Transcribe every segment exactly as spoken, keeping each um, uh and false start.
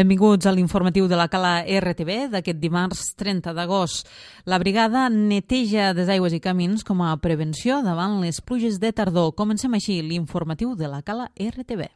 Benvinguts a l'informatiu de la Cala R T B d'aquest dimarts trenta d'agost. La brigada neteja desaigües i camins com a prevenció davant les pluges de tardor. Comencem així l'informatiu de la Cala R T B.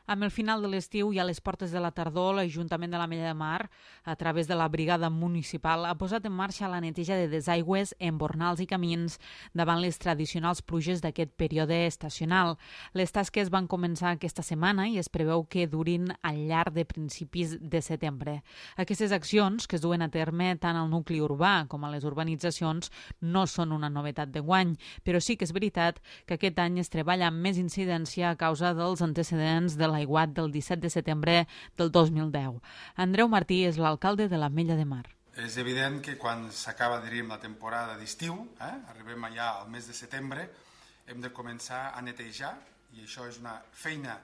Amb el final de l'estiu i a les portes de la tardor, l'Ajuntament de l'Ametlla de Mar, a través de la brigada municipal, ha posat en marxa la neteja de desaigües, embornals i camins davant les tradicionals pluges d'aquest període estacional. Les tasques van començar aquesta setmana i es preveu que durin al llarg de principis de setembre. Aquestes accions, que es duen a terme tant al nucli urbà com a les urbanitzacions, no són una novetat d'enguany, però sí que és veritat que aquest any es treballa amb més incidència a causa dels antecedents de la l'aiguat del disset de setembre del dos mil deu. Andreu Martí és l'alcalde de l'Ametlla de Mar. És evident que quan s'acaba, diríem, la temporada d'estiu, eh, arribem allà al mes de setembre, hem de començar a netejar, i això és una feina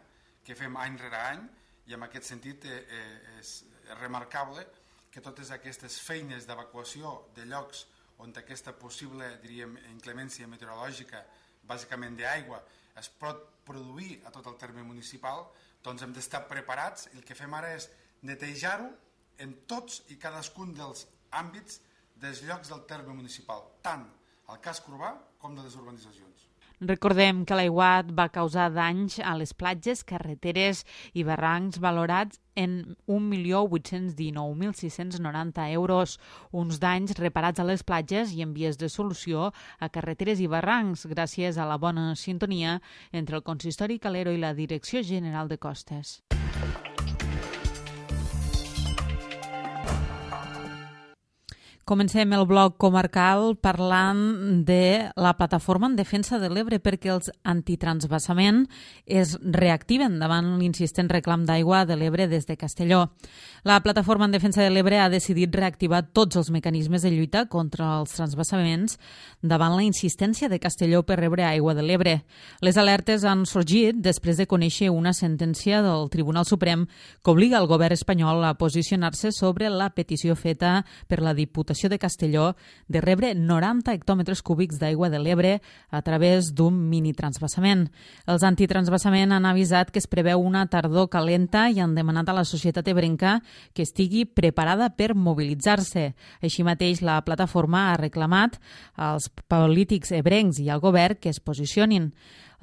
que fem any rere any, i en aquest sentit eh, eh, és remarcable que totes aquestes feines d'evacuació de llocs on aquesta possible, diríem, inclemència meteorològica, bàsicament d'aigua, es pot produir a tot el terme municipal, doncs hem d'estar preparats. El que fem ara és netejar-ho en tots i cadascun dels àmbits dels llocs del terme municipal, tant al casc urbà com de les urbanitzacions. Recordem que l'aiguat va causar danys a les platges, carreteres i barrancs valorats en un milió vuit-cents dinou mil sis-cents noranta euros, uns danys reparats a les platges i en vies de solució a carreteres i barrancs gràcies a la bona sintonia entre el Consistori Calero i la Direcció General de Costes. Comencem el bloc comarcal parlant de la plataforma en defensa de l'Ebre perquè els antitransvasament es reactiven davant l'insistent reclam d'aigua de l'Ebre des de Castelló. La plataforma en defensa de l'Ebre ha decidit reactivar tots els mecanismes de lluita contra els transvasaments davant la insistència de Castelló per rebre aigua de l'Ebre. Les alertes han sorgit després de conèixer una sentència del Tribunal Suprem que obliga el govern espanyol a posicionar-se sobre la petició feta per la Diputació de Castelló de rebre noranta hectòmetres cúbics d'aigua de l'Ebre a través d'un mini-transvasament. Els antitransvasament han avisat que es preveu una tardor calenta i han demanat a la societat ebrenca que estigui preparada per mobilitzar-se. Així mateix, la plataforma ha reclamat als polítics ebrencs i al govern que es posicionin.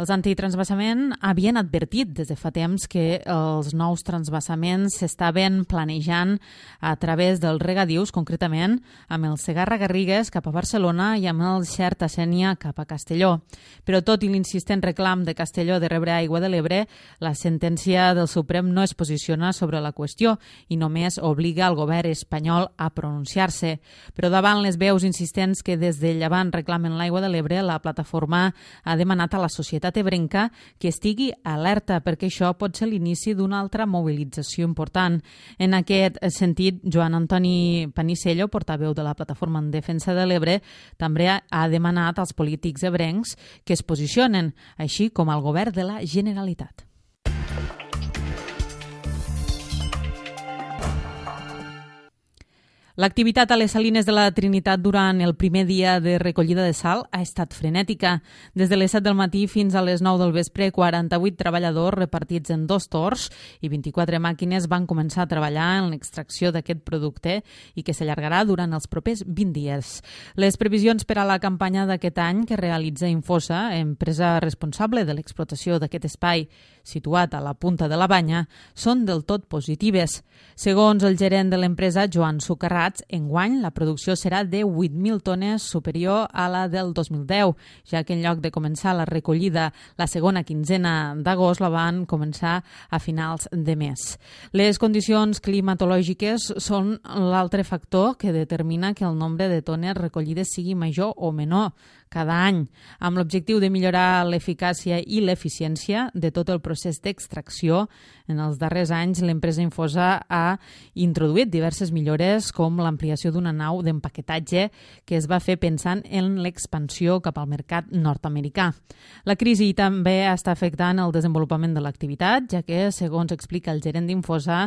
Els antitransvasament havien advertit des de fa temps que els nous transvasaments s'estaven planejant a través dels regadius, concretament amb el Segarra-Garrigues cap a Barcelona i amb el Xerta-Sénia cap a Castelló. Però tot i l'insistent reclam de Castelló de rebre aigua de l'Ebre, la sentència del Suprem no es posiciona sobre la qüestió i només obliga el govern espanyol a pronunciar-se. Però davant les veus insistents que des de Llevant reclamen l'aigua de l'Ebre, la plataforma ha demanat a la societat ebrenca que estigui alerta perquè això pot ser l'inici d'una altra mobilització important. En aquest sentit, Joan Antoni Panisello, portaveu de la plataforma en defensa de l'Ebre, també ha demanat als polítics ebrencs que es posicionen, així com al govern de la Generalitat. L'activitat a les salines de la Trinitat durant el primer dia de recollida de sal ha estat frenètica. Des de les set del matí fins a les nou del vespre, quaranta-vuit treballadors repartits en dos torns i vint-i-quatre màquines van començar a treballar en l'extracció d'aquest producte i que s'allargarà durant els propers vint dies. Les previsions per a la campanya d'aquest any que realitza Infosa, empresa responsable de l'explotació d'aquest espai situat a la punta de la Banya, són del tot positives. Segons el gerent de l'empresa, Joan Sucarrats, enguany la producció serà de vuit mil tones superior a la del dos mil deu, ja que en lloc de començar la recollida la segona quinzena d'agost la van començar a finals de mes. Les condicions climatològiques són l'altre factor que determina que el nombre de tones recollides sigui major o menor cada any, amb l'objectiu de millorar l'eficàcia i l'eficiència de tot el procés d'extracció. En els darrers anys, l'empresa Infosa ha introduït diverses millores com l'ampliació d'una nau d'empaquetatge que es va fer pensant en l'expansió cap al mercat nord-americà. La crisi també està afectant el desenvolupament de l'activitat, ja que, segons explica el gerent d'Infosa,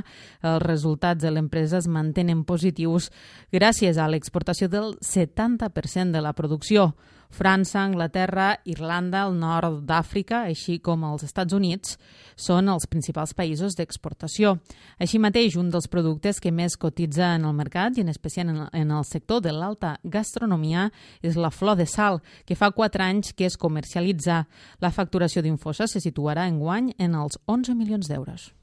els resultats de l'empresa es mantenen positius gràcies a l'exportació del setanta per cent de la producció. França, Anglaterra, Irlanda, el nord d'Àfrica, així com els Estats Units, són els principals països d'exportació. Així mateix, un dels productes que més cotitza en el mercat, i en especial en el sector de l'alta gastronomia, és la flor de sal, que fa quatre anys que es comercialitza. La facturació d'Infosa se situarà enguany en els onze milions d'euros.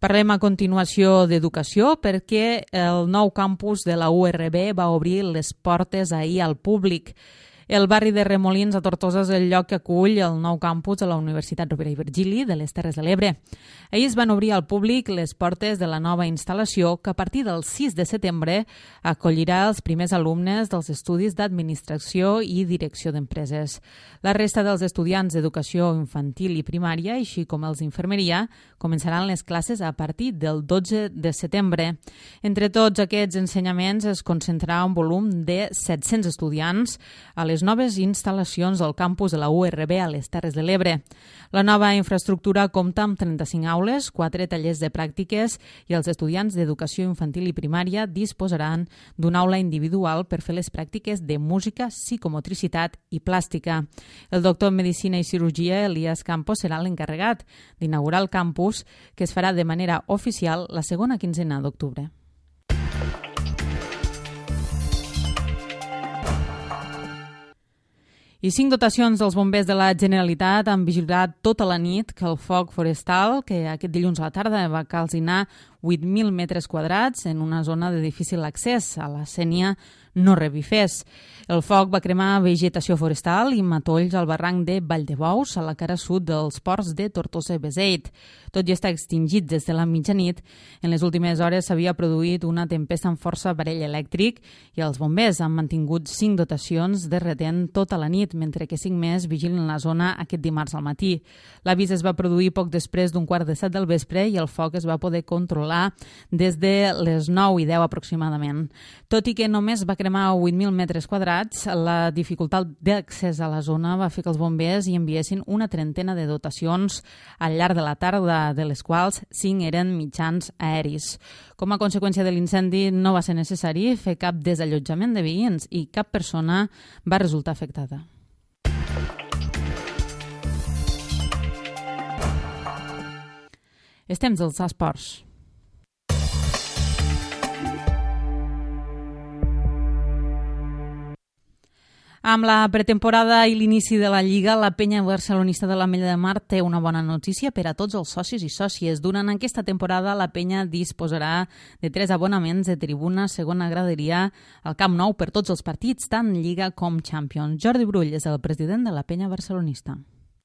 Parlem a continuació d'educació perquè el nou campus de la U R B va obrir les portes ahir al públic. El barri de Remolins, a Tortosa, és el lloc que acull el nou campus de la Universitat Rovira i Virgili de les Terres de l'Ebre. Ahir es van obrir al públic les portes de la nova instal·lació que a partir del sis de setembre acollirà els primers alumnes dels estudis d'administració i direcció d'empreses. La resta dels estudiants d'educació infantil i primària, així com els d'infermeria, començaran les classes a partir del dotze de setembre. Entre tots aquests ensenyaments es concentrarà un volum de set-cents estudiants a les noves instal·lacions del campus de la U R B a les Terres de l'Ebre. La nova infraestructura compta amb trenta-cinc aules, quatre tallers de pràctiques i els estudiants d'educació infantil i primària disposaran d'una aula individual per fer les pràctiques de música, psicomotricitat i plàstica. El doctor en Medicina i Cirurgia, Elias Campos, serà l'encarregat d'inaugurar el campus, que es farà de manera oficial la segona quinzena d'octubre. I cinc dotacions dels bombers de la Generalitat han vigilat tota la nit que el foc forestal, que aquest dilluns a la tarda va calcinar vuit mil metres quadrats en una zona de difícil accés a la Sénia, no revifés. El foc va cremar vegetació forestal i matolls al barranc de Valldebous, a la cara sud dels ports de Tortosa i Beseit. Tot i estar extingit des de la mitjanit, en les últimes hores s'havia produït una tempesta amb força aparell elèctric i els bombers han mantingut cinc dotacions de retent tota la nit, mentre que cinc més vigilen la zona aquest dimarts al matí. L'avís es va produir poc després d'un quart de set del vespre i el foc es va poder controlar des de les nou i deu aproximadament. Tot i que només va cremar vuit mil metres quadrats, la dificultat d'accés a la zona va fer que els bombers hi enviessin una trentena de dotacions al llarg de la tarda, de les quals cinc eren mitjans aeris. Com a conseqüència de l'incendi no va ser necessari fer cap desallotjament de veïns i cap persona va resultar afectada. És temps dels esports. Amb la pretemporada i l'inici de la Lliga, la penya barcelonista de l'Ametlla de Mar té una bona notícia per a tots els socis i sòcies. Durant aquesta temporada, la penya disposarà de tres abonaments de tribuna segona graderia al Camp Nou per tots els partits, tant Lliga com Champions. Jordi Brull és el president de la penya barcelonista.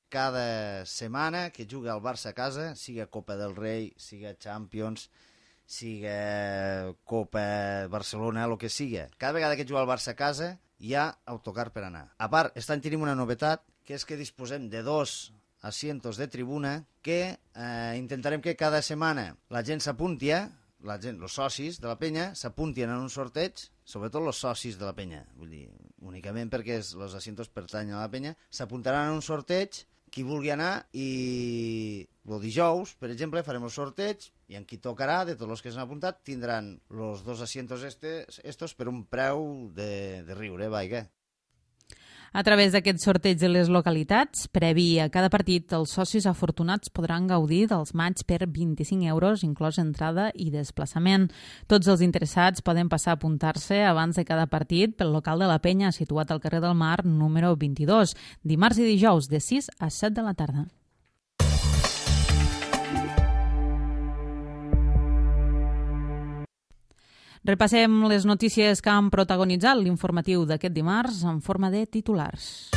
Cada setmana que juga el Barça a casa, siga Copa del Rei, siga Champions, siga Copa Barcelona, el que siga. Cada vegada que juga el Barça a casa hi ha autocar per anar. A part, aquest any tenim una novetat, que és que disposem de dos asientos de tribuna que eh, intentarem que cada setmana la gent s'apunti, la gent, els socis de la penya s'apuntien en un sorteig, sobretot els socis de la penya, vull dir, únicament perquè els asientos pertanyen a la penya, s'apuntaran en un sorteig, qui vulgui anar, i el dijous, per exemple, farem el sorteig i en qui tocarà, de tots els que s'han apuntat, tindran els dos asientos estes, estos per un preu de, de riure, vaiga. A través d'aquest sorteig de les localitats, previ a cada partit, els socis afortunats podran gaudir dels matxs per vint-i-cinc euros, inclòs entrada i desplaçament. Tots els interessats poden passar a apuntar-se abans de cada partit pel local de la penya, situat al carrer del Mar, número vint-i-dos, dimarts i dijous, de sis a set de la tarda. Repassem les notícies que han protagonitzat l'informatiu d'aquest dimarts en forma de titulars.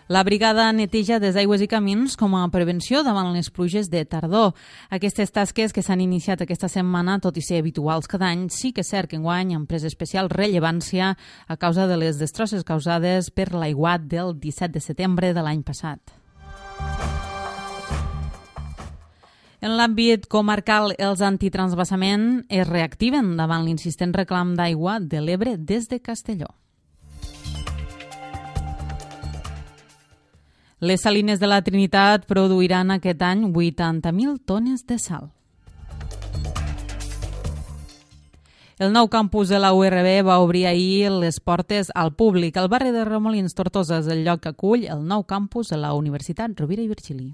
La brigada neteja des d'aigües i camins com a prevenció davant les pluges de tardor. Aquestes tasques que s'han iniciat aquesta setmana, tot i ser habituals cada any, sí que és cert que enguany han pres especial rellevància a causa de les destrosses causades per l'aiguat del disset de setembre de l'any passat. En l'àmbit comarcal, els antitransvasament es reactiven davant l'insistent reclam d'aigua de l'Ebre des de Castelló. Les salines de la Trinitat produiran aquest any vuitanta mil tones de sal. El nou campus de la U R B va obrir ahir les portes al públic. El barri de Remolins, Tortosa, és el lloc que acull el nou campus de la Universitat Rovira i Virgili.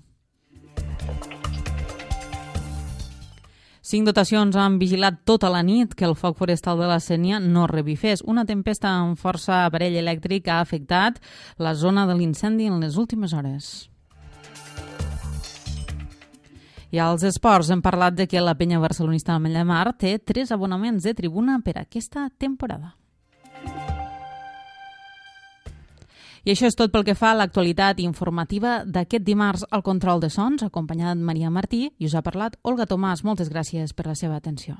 Cinc dotacions han vigilat tota la nit que el foc forestal de la Sénia no revifés. Una tempesta amb força aparell elèctric ha afectat la zona de l'incendi en les últimes hores. I als esports hem parlat de que la penya barcelonista Ametlla de Mar té tres abonaments de tribuna per aquesta temporada. I això és tot pel que fa a l'actualitat informativa d'aquest dimarts. Al control de sons, acompanyat Maria Martí, i us ha parlat Olga Tomàs. Moltes gràcies per la seva atenció.